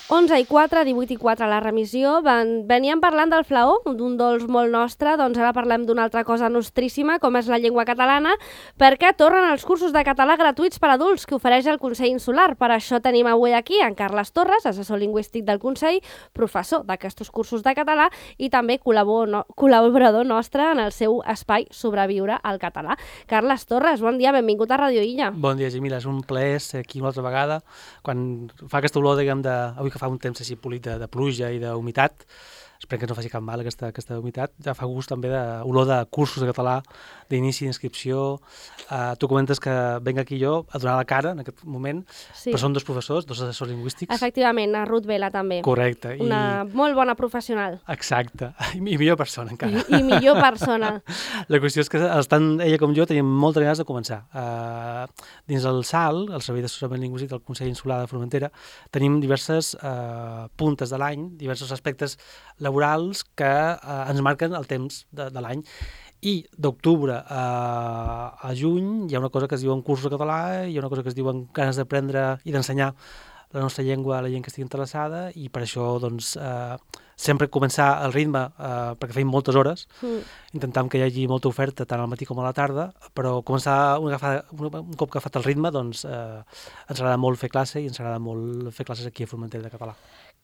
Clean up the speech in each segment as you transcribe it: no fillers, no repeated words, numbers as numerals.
11:04, 18:04 a la remissió. Veníem parlant del flaó, d'un dolç molt nostre, doncs ara parlem d'una altra cosa nostríssima, com és la llengua catalana, perquè tornen els cursos de català gratuïts per a adults que ofereix el Consell Insular. Per això tenim avui aquí en Carles Torres, assessor lingüístic del Consell, professor d'aquests cursos de català i també col·laborador nostre en el seu espai Sobreviure al català. Carles Torres, bon dia, benvingut a Radio Illa. Bon dia, Gemila, és un plaer ser aquí una altra vegada. Quan fa aquesta olor, diguem, avui que fa un temps així polit de pluja i d'humitat, esperem que no faci cap mal aquesta humitat, ja fa gust també d'olor de cursos de català, d'inici d'inscripció. Tu comentes que venc aquí jo a donar la cara en aquest moment, Sí. però som dos professors, dos assessors lingüístics. Efectivament, a Ruth Vela també. Correcte. Una molt bona professional. Exacte, i millor persona encara. I millor persona. La qüestió és que tant ella com jo tenim moltes ganes de començar. Dins el SAL, el Servei d'Assessorament Lingüístic del Consell Insular de Formentera, tenim diverses puntes de l'any, diversos aspectes laborals que ens marquen el temps de l'any. I d'octubre a juny hi ha una cosa que es diuen cursos de català, hi ha una cosa que es diuen ganes d'aprendre i d'ensenyar la nostra llengua a la gent que estigui interessada, i per això doncs, sempre començar el ritme, perquè feim moltes hores, intentam que hi hagi molta oferta tant al matí com a la tarda, però començar un cop agafat el ritme, doncs ens agrada molt fer classe i ens agrada molt fer classes aquí a Formentera de català.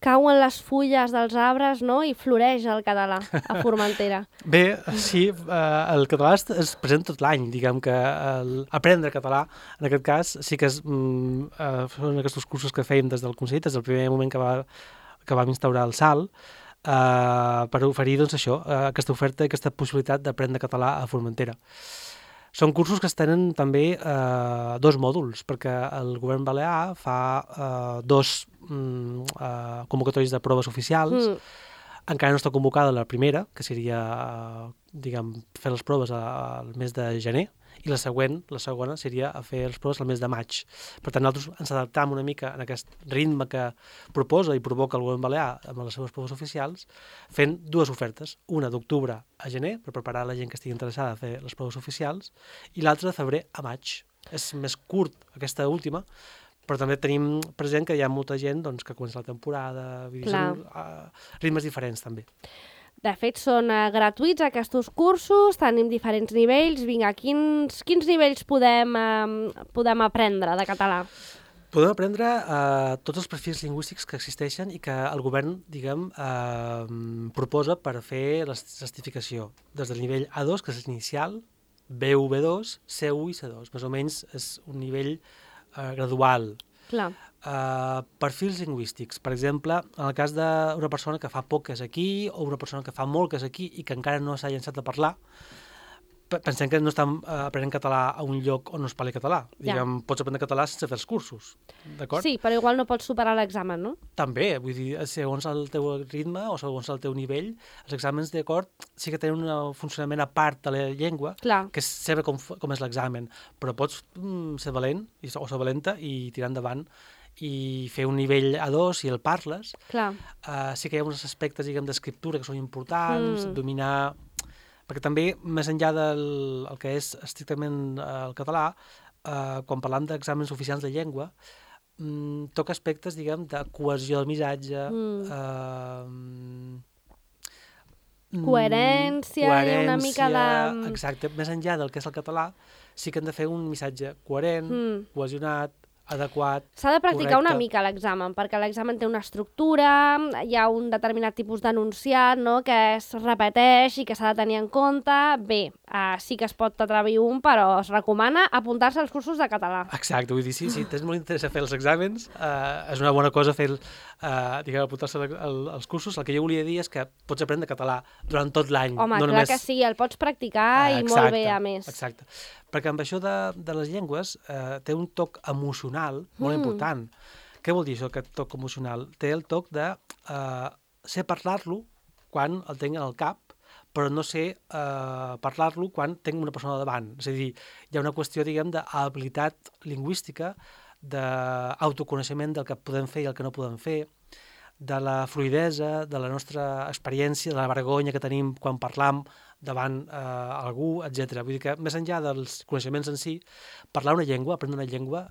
Cauen les fulles dels arbres, no?, i floreix el català a Formentera. Bé, sí, el català es present tot l'any, diguem que aprendre català, en aquest cas, sí que són aquests cursos que fèiem des del Consell, des del primer moment que vam instaurar el SAL, per oferir doncs, això, aquesta oferta i aquesta possibilitat d'aprendre català a Formentera. Són cursos que es tenen també dos mòduls, perquè el govern balear fa dos convocatòries de proves oficials. Encara no està convocada la primera, que seria, diguem, fer les proves al mes de gener, i la segona seria fer les proves al mes de maig. Per tant, nosaltres ens adaptam una mica en aquest ritme que proposa i provoca el govern balear amb les seves proves oficials, fent dues ofertes, una d'octubre a gener, per preparar la gent que estigui interessada a fer les proves oficials, i l'altra de febrer a maig. És més curt aquesta última, però també tenim present que hi ha molta gent doncs, que comença la temporada, ritmes diferents també. De fet, són gratuïts aquests cursos, tenim diferents nivells. Vinga, quins nivells podem aprendre de català? Podem aprendre tots els perfils lingüístics que existeixen i que el govern, diguem, proposa per fer la certificació. Des del nivell A2, que és l'inicial, B1, B2, C1 i C2. Més o menys és un nivell gradual. Clar. Perfils lingüístics. Per exemple, en el cas d'una persona que fa poc que és aquí o una persona que fa molt que és aquí i que encara no s'ha llançat a parlar, pensem que no estem aprenent català a un lloc on no es parli català. Diguem, pots aprendre català sense fer els cursos, d'acord? Sí, però igual no pots superar l'examen, no? També, vull dir, segons el teu ritme o segons el teu nivell, els exàmens, d'acord, sí que tenen un funcionament a part de la llengua, Clar. que és saber com és l'examen, però pots ser valent o ser valenta i tirar endavant i fer un nivell A2 si el parles. Clar. Sí que hi ha uns aspectes, diguem, d'escriptura que són importants, dominar... Perquè també, més enllà del que és estrictament el català, quan parlam d'exàmens oficials de llengua, toca aspectes, diguem, de cohesió del missatge, coherència, una mica de... Exacte, més enllà del que és el català, sí que hem de fer un missatge coherent, cohesionat, adequat, S'ha de practicar correcte. una mica l'examen, perquè l'examen té una estructura, hi ha un determinat tipus d'enunciat, no?, que es repeteix i que s'ha de tenir en compte. Bé, sí que es pot atrevir un, però es recomana apuntar-se als cursos de català. Exacte, vull dir, si tens molt interès a fer els exàmens, és una bona cosa fer, apuntar-se als cursos. El que jo volia dir és que pots aprendre català durant tot l'any. Home, no clar només... que sí, el pots practicar i molt bé, a més. Exacte, perquè amb això de les llengües té un toc emocional molt important. Què vol dir això, aquest toc emocional? Té el toc de ser parlar-lo quan el tinc al cap, però no sé parlar-lo quan tinc una persona davant. És a dir, hi ha una qüestió, diguem, d'habilitat lingüística, d'autoconeixement del que podem fer i el que no podem fer, de la fluïdesa, de la nostra experiència, de la vergonya que tenim quan parlam davant algú, etc. Vull dir que, més enllà dels coneixements en si, parlar una llengua, aprendre una llengua,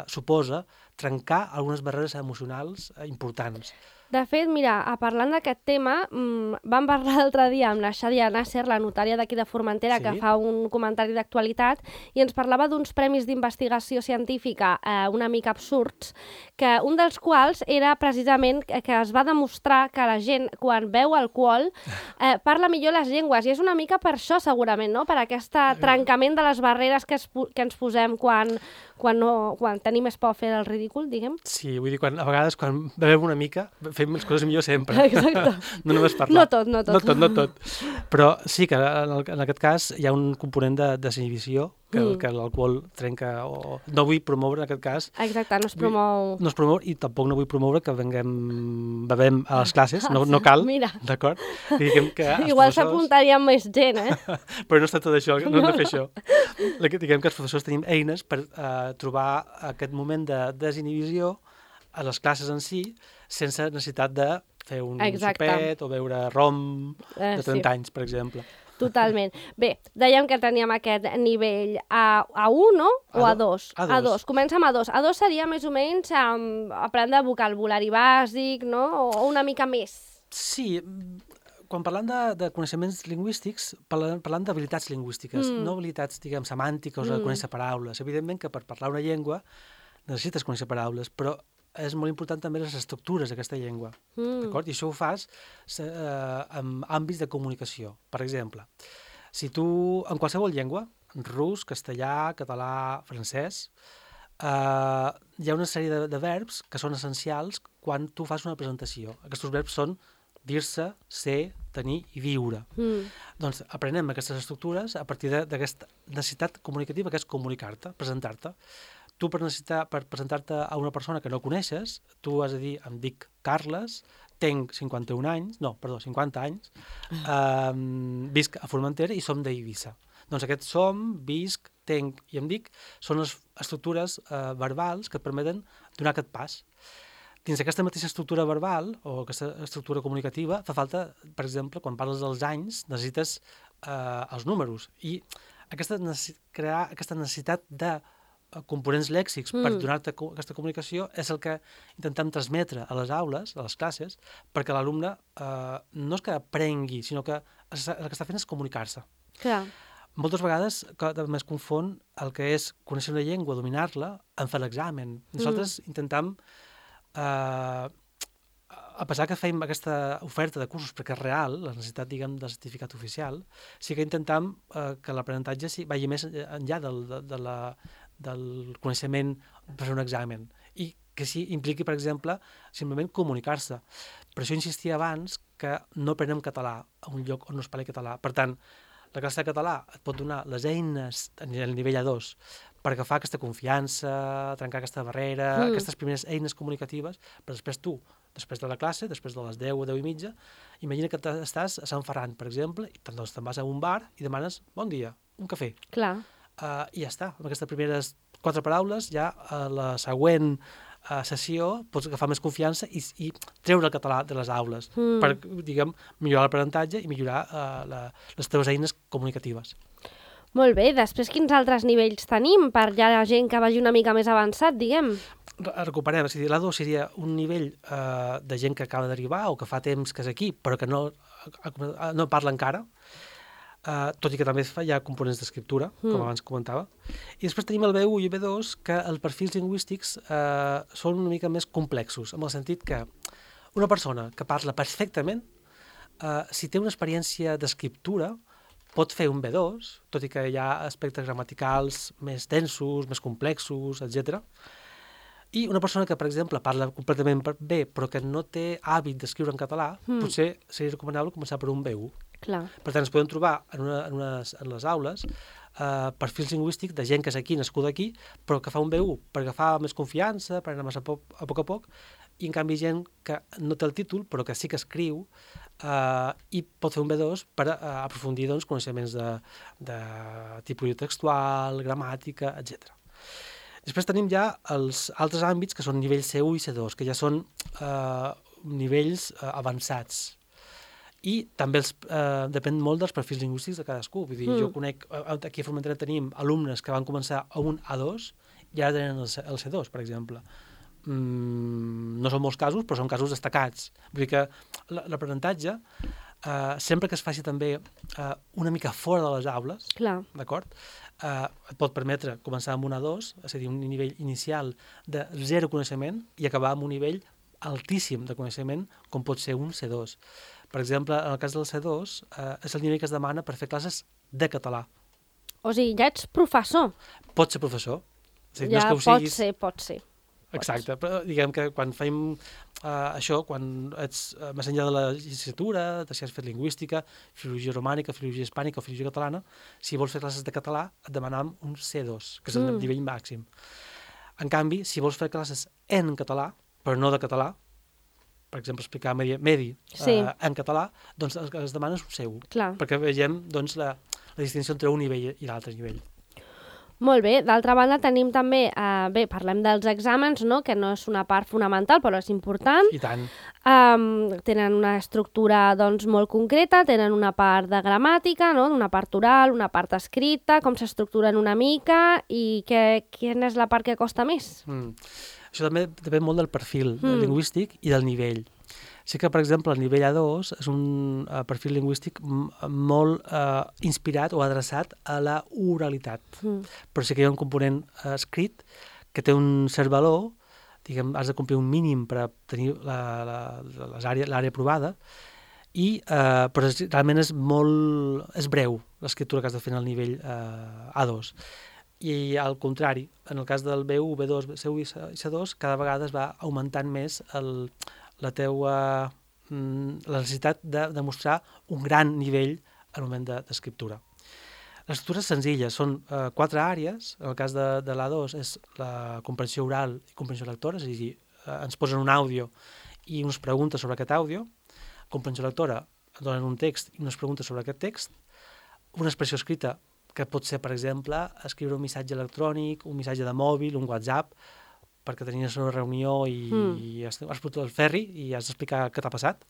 suposa trencar algunes barreres emocionals importants. De fet, mira, parlant d'aquest tema, vam parlar l'altre dia amb la Xadia Nasser, la notària d'aquí de Formentera, que fa un comentari d'actualitat, i ens parlava d'uns premis d'investigació científica una mica absurds, que un dels quals era precisament que es va demostrar que la gent, quan beu alcohol, parla millor les llengües, i és una mica per això, segurament, no? Per aquest trencament de les barreres que ens posem quan tenim més por a fer el ridícul, diguem. Sí, vull dir, a vegades quan bevem una mica fem les coses millor sempre. Exacte. No només parlar. No tot. Però sí que en aquest cas hi ha un component de desinhibició que l'alcohol trenca o... No vull promoure en aquest cas... Exacte, no es promou... No es promou i tampoc no vull promoure que bevem a les classes, no cal, d'acord? Igual s'apuntaria més gent, Però no està tot això, no hem de fer això. Diguem que els professors tenim eines per trobar aquest moment de desinhibició a les classes en si, sense necessitat de fer un sopet o beure rom de 30 anys, per exemple. Totalment. Bé, dèiem que teníem aquest nivell A1, no? O A2? A2. Comença amb A2. A2 seria més o menys aprendre vocabulari bàsic, no? O una mica més. Sí, quan parlant de coneixements lingüístics, parlant d'habilitats lingüístiques, no habilitats, diguem, semàntiques o de conèixer paraules. Evidentment que per parlar una llengua necessites conèixer paraules, però és molt important també les estructures d'aquesta llengua, d'acord? I això ho fas en àmbits de comunicació. Per exemple, si tu, en qualsevol llengua, rus, castellà, català, francès, hi ha una sèrie de verbs que són essencials quan tu fas una presentació. Aquests verbs són dir-se, ser, tenir i viure. Doncs aprenem aquestes estructures a partir d'aquesta necessitat comunicativa que és comunicar-te, presentar-te. Tu per presentar-te a una persona que no coneixes, tu has de dir, em dic Carles, tinc 50 anys, visc a Formentera i som d'Eivissa. Doncs aquests som, visc, tinc i em dic són les estructures verbals que et permeten donar aquest pas. Dins d'aquesta mateixa estructura verbal o aquesta estructura comunicativa fa falta, per exemple, quan parles dels anys, necessites els números. I crear aquesta necessitat de components lèxics per donar-te aquesta comunicació és el que intentem transmetre a les aules, a les classes, perquè l'alumne no és que aprengui, sinó que el que està fent és comunicar-se. Clar. Moltes vegades també es confon el que és conèixer una llengua, dominar-la, en fer l'examen. Nosaltres intentem, a pesar que fem aquesta oferta de cursos perquè és real, la necessitat, diguem, del certificat oficial, sí que intentem que l'aprenentatge vagi més enllà del coneixement per fer un examen i que sí impliqui, per exemple, simplement comunicar-se. Per això insistia abans que no aprenem català a un lloc on no es parli català. Per tant, la classe de català et pot donar les eines a nivell A2 per agafar aquesta confiança, trencar aquesta barrera, aquestes primeres eines comunicatives, però després tu, després de la classe, després de les 10 o 10 i mitja, imagina que estàs a Sant Ferran, per exemple, i doncs te'n vas a un bar i demanes bon dia, un cafè. Clar. I ja està. Amb aquestes primeres 4 paraules, ja a la següent sessió pots agafar més confiança i treure el català de les aules per, diguem, millorar l'aprenentatge i millorar les teves eines comunicatives. Molt bé. Després, quins altres nivells tenim per ja la gent que vagi una mica més avançat, diguem? Recuperem. És a dir, l'A2 seria un nivell de gent que acaba d'arribar o que fa temps que és aquí, però que no parla encara. Tot i que també hi ha components d'escriptura, com abans comentava. I després tenim el B1 i el B2, que els perfils lingüístics són una mica més complexos, en el sentit que una persona que parla perfectament, si té una experiència d'escriptura, pot fer un B2, tot i que hi ha aspectes gramaticals més densos, més complexos, etc. I una persona que, per exemple, parla completament bé, però que no té hàbit d'escriure en català, potser seria recomanable començar per un B1. Clar. Per tant, es poden trobar en les aules perfils lingüístics de gent que és aquí, nascuda aquí, però que fa un B1 per agafar més confiança, per anar més a poc a poc, i en canvi gent que no té el títol, però que sí que escriu, i pot fer un B2 per aprofundir coneixements de tipologia textual, gramàtica, etc. Després tenim ja els altres àmbits, que són nivells C1 i C2, que ja són nivells avançats. I també depèn molt dels perfils lingüístics de cadascú. Vull dir, jo conec, aquí a Formentera tenim alumnes que van començar a un A2 i ara tenen el C2, per exemple. no són molts casos, però són casos destacats. Vull dir que l'aprenentatge, sempre que es faci també una mica fora de les aules, d'acord? Et pot permetre començar amb un A2, és a dir, un nivell inicial de zero coneixement i acabar amb un nivell altíssim de coneixement, com pot ser un C2. Per exemple, en el cas del C2, és el nivell que es demana per fer classes de català. O sigui, ja ets professor. Pots ser professor. O sigui, ja no és que ho siguis... pot ser. Exacte, però diguem que quan fem això, quan ets més enllà de la llicenciatura, de si has fet lingüística, filologia romànica, filologia hispànica o filologia catalana, si vols fer classes de català et demanam un C2, que és el nivell màxim. En canvi, si vols fer classes en català, però no de català, per exemple, explicar medi en català, doncs el que es demana és un C1, perquè vegem doncs, la distinció entre un nivell i l'altre nivell. Molt bé, d'altra banda tenim també, parlem dels exàmens, no? Que no és una part fonamental, però és important. I tant. Tenen una estructura doncs, molt concreta, tenen una part de gramàtica, no? Una part oral, una part escrita, com s'estructuren una mica i quina és la part que costa més? Això també depèn molt del perfil lingüístic i del nivell. Sí que, per exemple, el nivell A2 és un perfil lingüístic molt inspirat o adreçat a la oralitat. Però sí que hi ha un component escrit que té un cert valor, diguem, has de complir un mínim per tenir l'àrea aprovada, però realment és breu l'escriptura que has de fer en el nivell A2. I al contrari, en el cas del B1, B2, C1 i C2, cada vegada es va augmentant més la necessitat de demostrar un gran nivell al moment d'escriptura. L'escriptura és senzilla, són 4 àrees. En el cas de l'A2 és la comprensió oral i comprensió lectora, és a dir, ens posen un àudio i unes preguntes sobre aquest àudio. Comprensió lectora, donen un text i unes preguntes sobre aquest text. Una expressió escrita, que pot ser, per exemple, escriure un missatge electrònic, un missatge de mòbil, un WhatsApp, perquè tenies una reunió i has putut el ferri i has d'explicar què t'ha passat.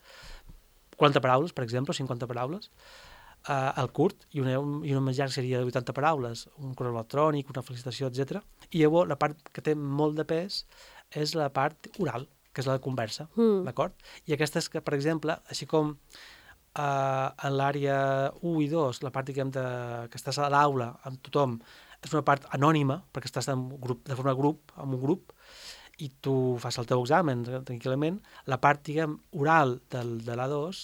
40 paraules, per exemple, 50 paraules. El curt, i una més llarg seria de 80 paraules, un correu electrònic, una felicitació, etc. I llavors la part que té molt de pes és la part oral, que és la de conversa, d'acord? I aquesta és que, per exemple, així com en l'àrea 1 i 2, la part, diguem, que estàs a l'aula amb tothom, és una part anònima, perquè estàs de forma amb un grup, i tu fas el teu examen tranquil·lament, la part, diguem, oral de l'A2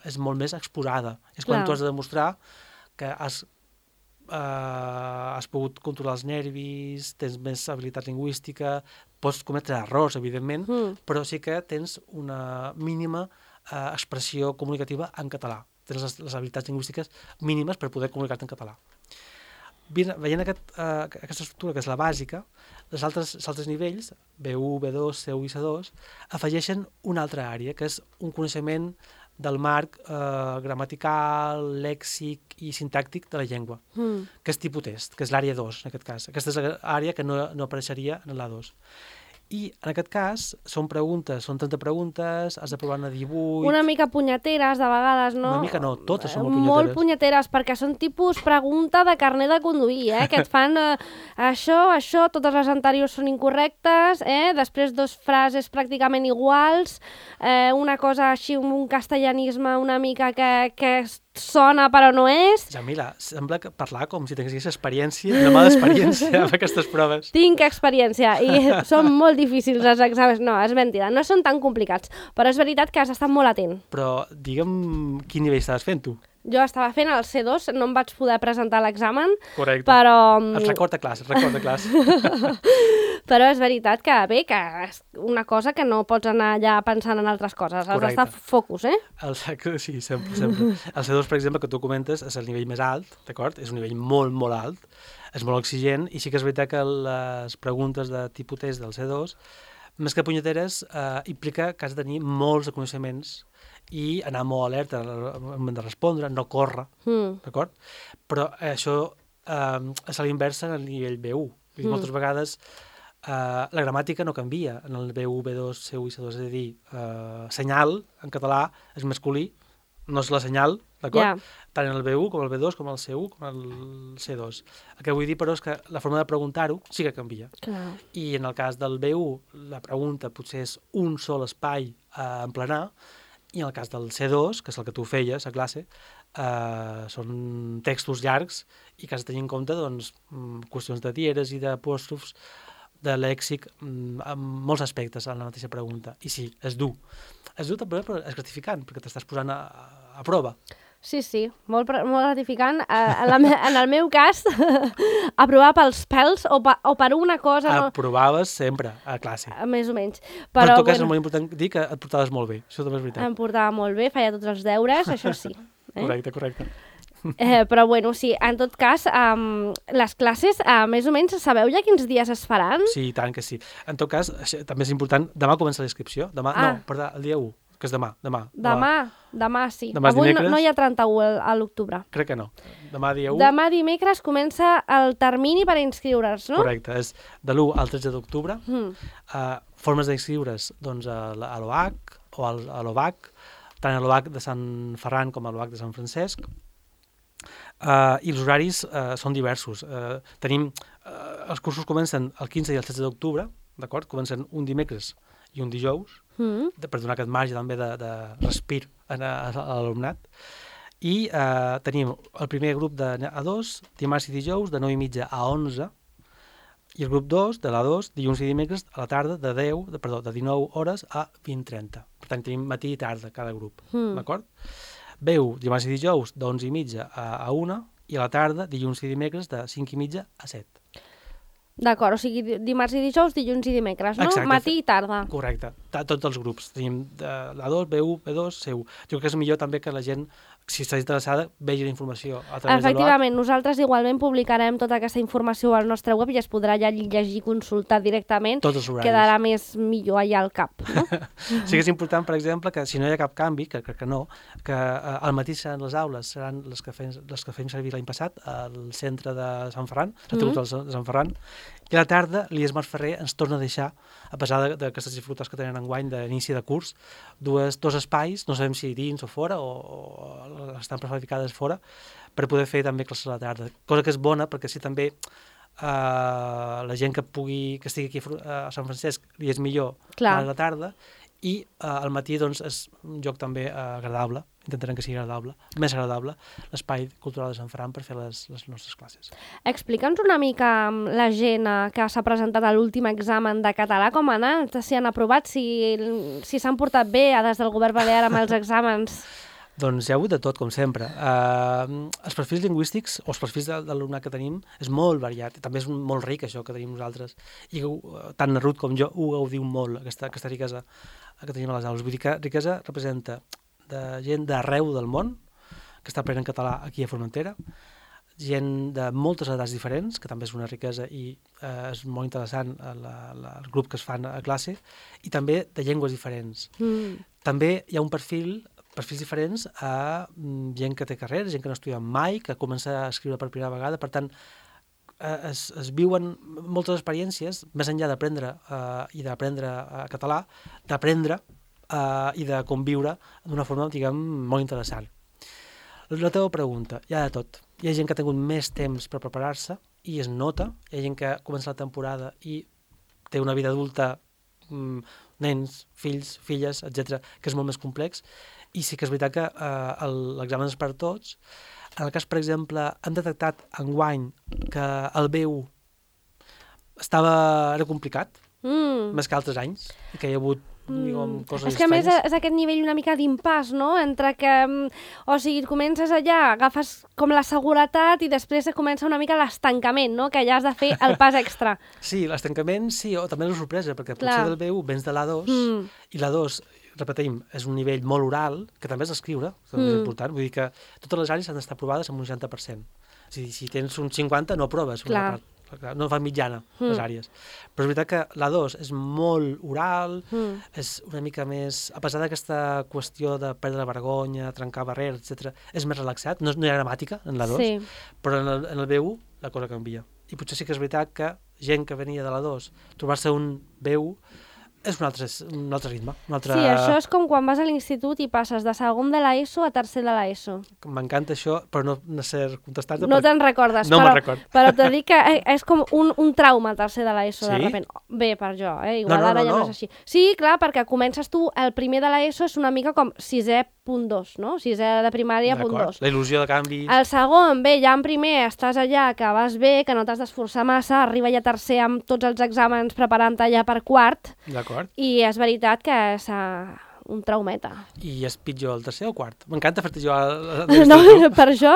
és molt més exposada. És quan tu has de demostrar que has pogut controlar els nervis, tens més habilitat lingüística, pots cometre errors, evidentment, però sí que tens una mínima expressió comunicativa en català. Tens les habilitats lingüístiques mínimes per poder comunicar-te en català. Veient aquesta estructura, que és la bàsica, els altres nivells, B1, B2, C1 i C2, afegeixen una altra àrea, que és un coneixement del marc gramatical, lèxic i sintàctic de la llengua, que és tipus test, que és l'àrea 2, en aquest cas. Aquesta és l'àrea que no apareixeria en l'A2. I en aquest cas són 30 preguntes, has de provar una 18... Una mica punyeteres, de vegades, no? Una mica no, totes són molt punyeteres. Molt punyeteres, perquè són tipus pregunta de carnet de conduir, que et fan això, totes les anteriors són incorrectes, després 2 frases pràcticament iguals, una cosa així, un castellanisme una mica que sona però no és. Jamila, sembla parlar com si tinguessis experiència, una mala experiència amb aquestes proves. Tinc experiència i són molt difícils els exàmens. No, és mentida, no són tan complicats, però és veritat que has estat molt atent. Però digue'm quin nivell estaves fent tu? Jo estava fent el C2, no em vaig poder presentar l'examen. Correcte. Però... Et recorda classe. Però és veritat que és una cosa que no pots anar allà pensant en altres coses. Has d'estar focus, Sí, sempre. El C2, per exemple, que tu comentes, és el nivell més alt, d'acord? És un nivell molt, molt alt, és molt exigent, i sí que és veritat que les preguntes de tipus test del C2, més que punyeteres, implica que has de tenir molts coneixements i anar molt alerta al moment de respondre, no córrer, d'acord? Però això és a l'inversa en el nivell B1. Moltes vegades la gramàtica no canvia en el B1, B2, C1 i C2, és a dir, senyal en català és masculí, no és la senyal d'acord? Tant en el B1 com el B2, com el C1, com el C2. El que vull dir, però, és que la forma de preguntar-ho sí que canvia. Clar. I en el cas del B1, la pregunta potser és un sol espai a emplenar, i en el cas del C2, que és el que tu feies a classe, són textos llargs i que has de tenir en compte doncs, qüestions de dieres i d'apòstrofs, de lèxic, en molts aspectes en la mateixa pregunta. I sí, és dur. És dur també, però és gratificant, perquè t'estàs posant a prova. Sí, molt gratificant. En el meu cas, aprovar pels pèls o per una cosa... Aprovaves sempre a classe. Més o menys. Però en tot cas és molt important dir que et portaves molt bé. Això també és veritat. Em portava molt bé, feia tots els deures, això sí. Correcte. Però bueno, sí, en tot cas, les classes, més o menys, sabeu ja quins dies es faran? Sí, tant que sí. En tot cas, també és important, demà comença la inscripció. No, perdó, el dia 1, que és demà. Demà sí. Demà Avui dimecres. no hi ha 31 a l'octubre. Crec que no. Demà dia 1. Demà dimecres comença el termini per inscriure's, no? Correcte, és de l'1 al 13 d'octubre. Formes d'inscriure's doncs, a l'OAC o a l'OVAC, tant a l'OVAC de Sant Ferran com a l'OVAC de Sant Francesc. I els horaris són diversos. Els cursos comencen el 15 i el 16 d'octubre, d'acord? Comencen un dimecres i un dijous, per donar aquest marge també de respir a l'alumnat. I tenim el primer grup de A2, dimarts i dijous, de 9:30 a 11, i el grup 2, de l'A2, dilluns i dimecres a la tarda, de 19 hores a 20:30. Per tant, tenim matí i tarda cada grup, d'acord? B1, dimarts i dijous, d'11:30 a 1, i a la tarda, dilluns i dimecres, de 5:30 a 7. D'acord, o sigui, dimarts i dijous, dilluns i dimecres, no? Exacte. Matí i tarda. Correcte, tots els grups. Tenim l'A2, B1, B2, C1. Jo crec que és millor també que la gent, si està interessada, vegi la informació a través de l'OAC. Efectivament, nosaltres igualment publicarem tota aquesta informació al nostre web i es podrà ja llegir i consultar directament. Tots els horaris. Quedarà millor allà al cap, no? Sí que és important, per exemple, que si no hi ha cap canvi, que crec que no, que al matí seran les aules, seran les que fem servir l'any passat al centre de Sant Ferran, de Sant Ferran, i a la tarda l'IES Mas Ferrer ens torna a deixar, a pesar d'aquestes dificultats que tenen enguany d'inici de curs, dos espais, no sabem si dins o fora, o estan prefabricades fora, per poder fer també classes a la tarda. Cosa que és bona, perquè si també la gent que estigui aquí a Sant Francesc li és millor a la tarda, i al matí doncs, és un lloc també agradable, intentarem que sigui agradable, més agradable, l'espai cultural de Sant Ferran per fer les nostres classes. Explica'ns una mica la gent que s'ha presentat a l'últim examen de català, com ha anat, si han aprovat, si s'han portat bé des del govern balear amb els exàmens. Doncs hi ha hagut de tot, com sempre. Els perfils lingüístics o els perfils de l'alumnat que tenim és molt variat, també és molt ric això que tenim nosaltres, i tant na Ruth com jo ho gaudim molt, aquesta riquesa que tenim a les aules. Vull dir que riquesa representa de gent d'arreu del món que està aprenent català aquí a Formentera, gent de moltes edats diferents, que també és una riquesa i és molt interessant el grup que es fan a classe, i també de llengües diferents. També hi ha un perfils diferents a gent que té carrera, gent que no estudia mai, que comença a escriure per primera vegada, per tant, es viuen moltes experiències, més enllà d'aprendre i d'aprendre català, d'aprendre i de conviure d'una forma, diguem, molt interessant. La teva pregunta, hi ha de tot. Hi ha gent que ha tingut més temps per preparar-se i es nota, hi ha gent que comença la temporada i té una vida adulta, nens, fills, filles, etc, que és molt més complex, i sí que és veritat que l'examen és per tots. En el cas, per exemple, han detectat enguany que el B1 era complicat, més que altres anys, i que hi ha hagut coses és que a més és aquest nivell una mica d'impàs, no? Entre que, o sigui, comences allà, agafes com la seguretat i després comença una mica l'estancament, no? Que allà has de fer el pas extra. Sí, l'estancament sí, o també la sorpresa, perquè potser del B1 vens de l'A2 i l'A2, repetim, és un nivell molt oral, que també és escriure, que és important, vull dir que totes les àrees han d'estar aprovades amb un 60%. És a dir, si tens un 50 no aproves una part. No fa mitjana les àrees. Però és veritat que l'A2 és molt oral, és una mica més, a pesar d'aquesta qüestió de perdre la vergonya, trencar barreres, etc., és més relaxat, no hi ha gramàtica en l'A2, però en el B1 la cosa canvia. I potser sí que és veritat que gent que venia de l'A2, trobar-se un B1 és un altre ritme. Sí, això és com quan vas a l'institut i passes de segon de l'ESO a tercer de l'ESO. M'encanta això, però no sé contestar-te. No te'n recordes, no me'n record. Però t'he dit que és com un trauma el tercer de l'ESO, sí? de sobte. Bé, per jo, igual ara ja no és així. Sí, clar, perquè comences tu, el primer de l'ESO és una mica com 6è.2, no? 6è de primària, .2. La il·lusió de canvis. El segon, bé, ja en primer estàs allà, que vas bé, que no t'has d'esforçar massa, arriba ja tercer amb tots els exàmens preparant-te ja per quart. D'acord. I és veritat que és un traumeta. I és pitjor el tercer o quart? M'encanta fer-te jugar no, per això,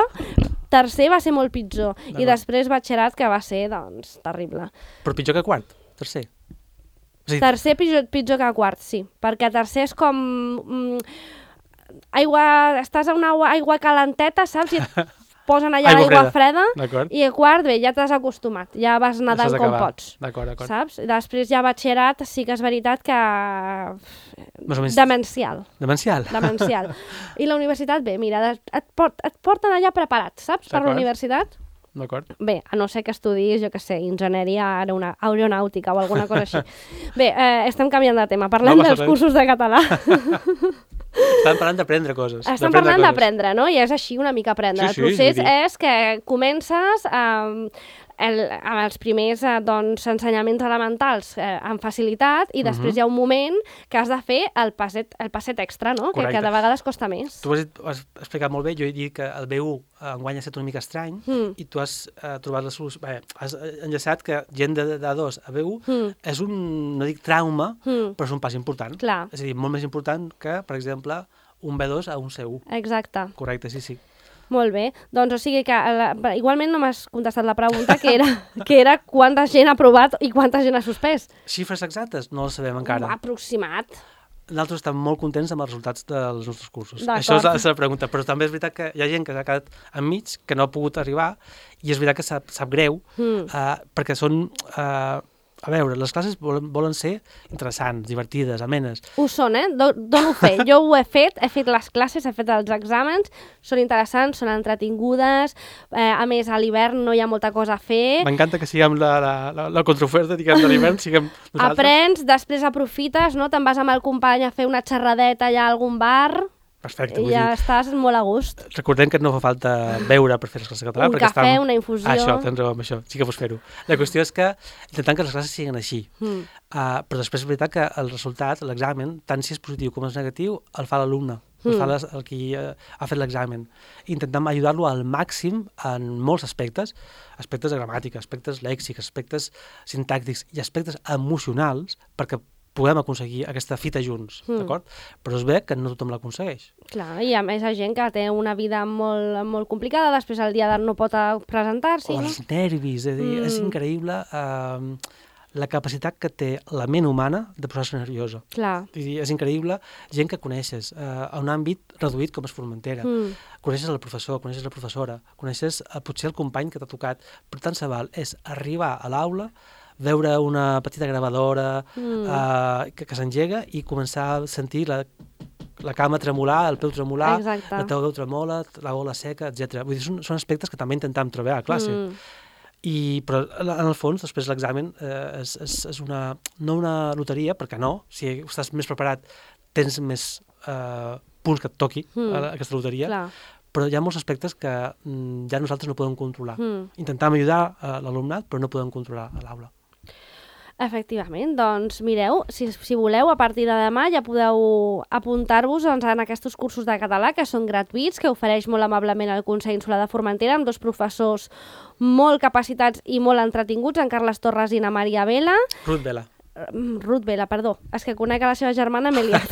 tercer va ser molt pitjor. I després batxillerat, que va ser, doncs, terrible. Però pitjor que quart? Tercer? O sigui, tercer pitjor que quart, sí. Perquè tercer és com... estàs a una aigua calenteta, saps? I et posen allà l'aigua freda i a quart, bé, ja t'has acostumat, ja vas nedant com pots. D'acord. Saps? Després ja batxillerat, sí que és veritat que... Demencial. I la universitat, bé, mira, et porten allà preparat, saps? Per la universitat. D'acord. Bé, a no ser que estudis, jo què sé, enginyeria aeronàutica o alguna cosa així. Bé, estem canviant de tema. Parlem dels cursos de català. Estan parlant d'aprendre coses. Estan parlant d'aprendre, no? I és així una mica aprendre. El procés és que comences amb els primers ensenyaments elementals amb facilitat i després hi ha un moment que has de fer el passet extra, no? Que de vegades costa més. Tu has explicat molt bé, jo he dit que el B1 enguany ha estat una mica estrany i tu has trobat la solució, has enllaçat que gent de A2 a B1 és un, no dic trauma, però és un pas important. Clar. És a dir, molt més important que, per exemple, un B2 a un C1. Exacte. Correcte, sí. Molt bé, doncs o sigui que igualment no m'has contestat la pregunta que era quanta gent ha aprovat i quanta gent ha suspès. Xifres exactes? No les sabem encara. Aproximat. Nosaltres estem molt contents amb els resultats dels nostres cursos. Això és la pregunta, però també és veritat que hi ha gent que s'ha quedat enmig, que no ha pogut arribar, i és veritat que sap greu, perquè són... A veure, les classes volen ser interessants, divertides, amenes. Ho són, dono fe. Jo ho he fet les classes, he fet els exàmens, són interessants, són entretingudes, a més a l'hivern no hi ha molta cosa a fer. M'encanta que siguem la contraoferta, diguem, de l'hivern, siguem nosaltres. Aprens, després aprofites, no? Te'n vas amb el company a fer una xerradeta allà a algun bar... Perfecte. I ja estàs molt a gust. Recordem que no fa falta beure per fer les classes de català. Un cafè, una infusió... Això, tens raó amb això, sí que pots fer-ho. La qüestió és que intentem que les classes siguin així. Però després és veritat que el resultat, l'examen, tant si és positiu com és negatiu, el fa l'alumne, el fa el qui ha fet l'examen. Intentem ajudar-lo al màxim en molts aspectes de gramàtica, aspectes lèxics, aspectes sintàctics i aspectes emocionals, perquè puguem aconseguir aquesta fita junts, d'acord? Però és bé que no tothom l'aconsegueix. Clar, i a més hi ha gent que té una vida molt, molt complicada, després el dia no pot presentar-s'hi. O els nervis, és increïble la capacitat que té la ment humana de posar-se nerviosa. Clar. És increïble gent que coneixes a un àmbit reduït com és Formentera. Coneixes el professor, coneixes la professora, coneixes potser el company que t'ha tocat, però tant se val és arribar a l'aula, veure una petita gravadora que s'engega i començar a sentir la cama tremolar, el peu tremolar, la teva veu tremola, la gola seca, etc. Vull dir, són aspectes que també intentem treballar a classe. Però en el fons, després l'examen és no una loteria, perquè no, si estàs més preparat tens més punts que et toqui aquesta loteria, però hi ha molts aspectes que ja nosaltres no podem controlar. Intentem ajudar l'alumnat, però no podem controlar a l'aula. Efectivament, doncs mireu, si voleu, a partir de demà ja podeu apuntar-vos en aquests cursos de català que són gratuïts, que ofereix molt amablement el Consell Insular de Formentera amb dos professors molt capacitats i molt entretinguts, en Carles Torres i na Maria Vela. Ruth Vela, perdó, és que conec a la seva germana, m'he liat.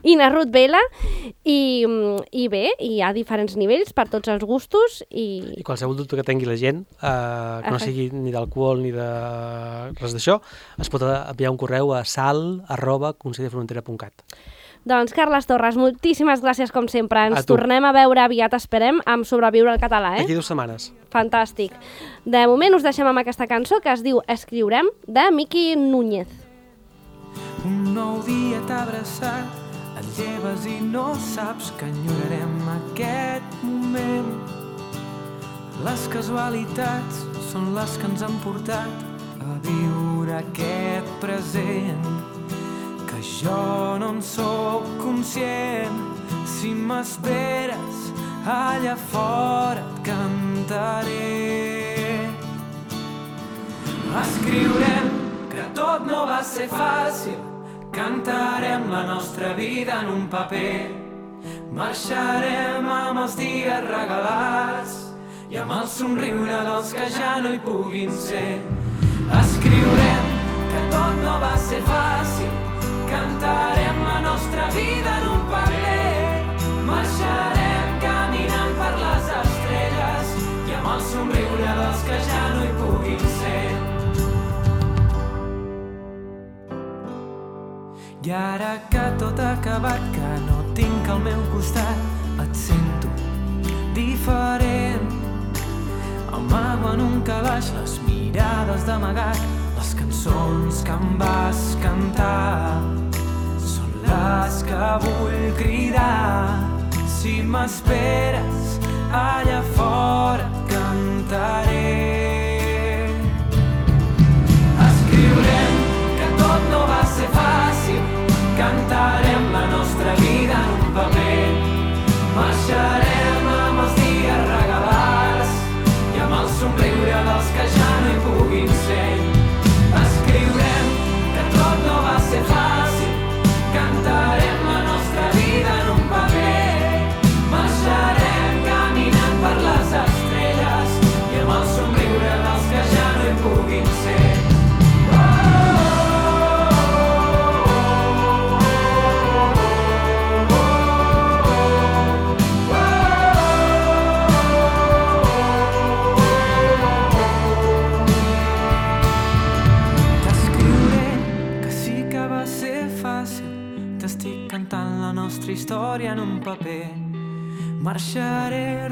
I na Ruth Vela, i bé, hi ha diferents nivells per tots els gustos. I qualsevol dubte que tingui la gent, que no sigui ni d'alcohol ni de res d'això, es pot enviar un correu a sal@conselldeformentera.cat. Doncs, Carles Torres, moltíssimes gràcies com sempre. Ens tornem a veure aviat, esperem, amb Sobreviure al català. Aquí 2 setmanes. Fantàstic. De moment us deixem amb aquesta cançó que es diu Escriurem, de Miqui Núñez. Un nou dia t'ha abraçat, et lleves i no saps que enyorarem aquest moment. Les casualitats són les que ens han portat a viure aquest present. jo no en sóc conscient. Si m'esperes allà fora et cantaré. Escriurem que tot no va ser fàcil, cantarem la nostra vida en un paper. Marxarem amb els dies regalats i amb el somriure dels que ja no hi puguin ser. Escriurem que tot no va ser fàcil, cantarem la nostra vida en un paper. Marxarem caminant per les estrelles i amb el somriure dels que ja no hi puguin ser. I ara que tot ha acabat, que no tinc al meu costat, et sento diferent. Amago en un calaix les mirades d'amagat, les cançons que em vas cantar són les que vull cridar. Si m'esperes allà fora et cantaré. Escriurem que tot no va ser fàcil, cantarem la nostra vida en un paper. Marxarem amb els dies regalats i amb el somriure dels que ja no hi puguin ser. Escriurem que tot no va ser fàcil, cantarem la nostra vida en un paper. Marxarem caminant per les estrelles i amb el somriure dels que ja no hi puguin ser. Història en un paper. Marxaré